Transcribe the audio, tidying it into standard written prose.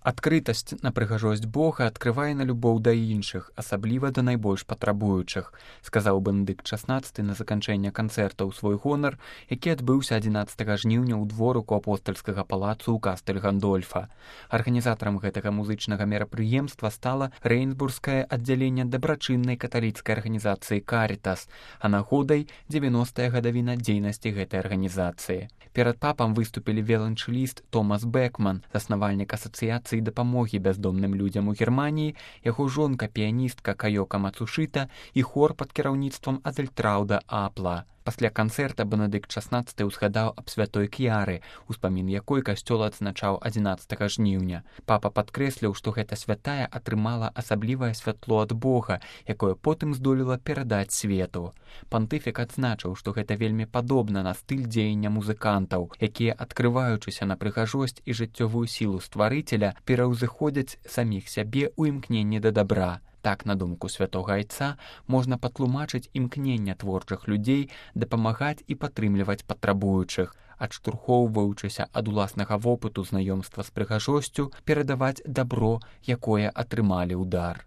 Адкрытасць на прыгажосць Бога адкрывае на любоў да іншых, асабліва да найбольш патрабуючых, сказаў Бенедыкт XVI на заканчэнне канцэрта ў свой гонар, які адбыўся 11 жніўня ў дворыку апостальскага палацу ў Кастэль-Гандольфа. Арганізатарам гэтага музычнага мерапрыемства стала рэйнсбургскае аддзяленне дабрачыннай каталіцкай арганізацыі «Карітас», а нагодай 90-я гадавіна дзейнасці гэтай арганізацыі. Перад папам выступілі віяланчэліст Томас Бекман, заснавальнік асацыяцыі дапамогі бяздомным людзям у Германіі, яго жонка піяністка Каёка Мацушыта і хор пад кіраўніцтвам Адельтраўда Апла. Пасля канцэрта Бенедыкт XVI узгадаў аб святой Кьяры, успамін якой касцёл адзначаў 11 жніўня. Папа падкрэсліў, што гэта святая атрымала асаблівае святло ад Бога, якое потым здолела перадаць свету. Пантыфік адзначыў, што гэта вельмі падобна на стыль дзеяння музыкантаў, якія, адкрываючыся на прыгажосць і жыццёвую сілу стварыцеля, пераўзыходзяць саміх сябе ў імкненні да дабра. Так, на думку святога айца, можна патлумачыць імкнення творчых людзей дапамагаць і падтрымліваць патрабуючых, адштурхоўваючыся ад уласнага вопыту знаёмства з прыгажосцю, перадаваць дабро, якое атрымалі ў дар.